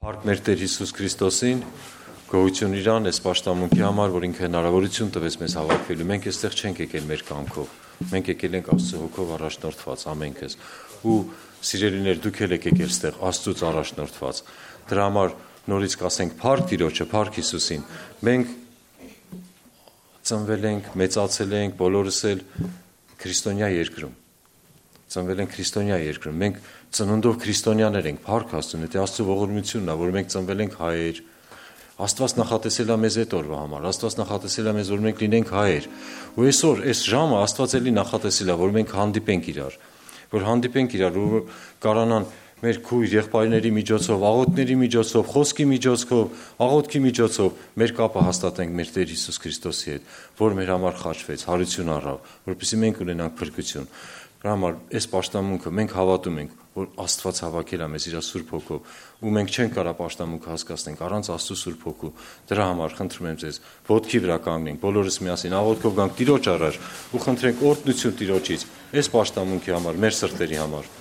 Փառք մեր Տեր Հիսուս Քրիստոսին, գոհություն իրան, այս պաշտամունքի համար, որ ինքը հնարավորություն տվեց մեզ հավաքվելու։ Մենք այստեղ չենք եկել մեր կամքով, մենք եկել ենք Աստծո հոգով առաջնորդված ամենքս։ Ու սիրելիներ, դուք եք եկել այստեղ Աստծուց առաջնորդված։ Դրա համար նորից կասենք փառք Տիրոջը, փառք Հիսուսին։ Մենք ծնվել ենք, մեծացել ենք, բոլորս էլ քրիստոնյա երկրում։ Ծնվել ենք քրիստոնյա երկրում։ Մենք ծնունդով քրիստոնյաներ ենք, փառք Աստծուն, դա Աստծո ողորմությունն է, որ մենք ծնվել ենք հայեր։ Աստված նախատեսել է մեզ այդ օրվա համար, Աստված նախատեսել է մեզ, որ մենք լինենք հայեր։ Ու այսօր այս ժամը Աստված էլի նախատեսել է, որ մենք հանդիպենք իրար, որ կարանան մեր քույր եղբայրների միջոցով, աղոթների միջոցով, խոսքի միջոցով, աղոթքի միջոցով մեր կապը հաստատենք մեր Տեր Հիսուս Քրիստոսի հետ, որ մեր համար խաչվեց, հարություն առավ, որպեսզի մենք ունենանք փրկություն։ Դրա համար այս պաշտամունքը մենք հավատում ենք, որ Աստված հավաքել է մեզ իր Սուրբ Հոգով, ու մենք չենք կարող պաշտամունքը հասկացնենք առանց Աստծո Սուրբ Հոգու։ Դրա համար խնդրում եմ ձեզ, ոտքի վրա կանգնենք, բոլորս միասին աղոթքով գանք Տիրոջ առաջ ու խնդրենք օրհնություն Տիրոջից այս պաշտամունքի համար, մեր սրտերի համար։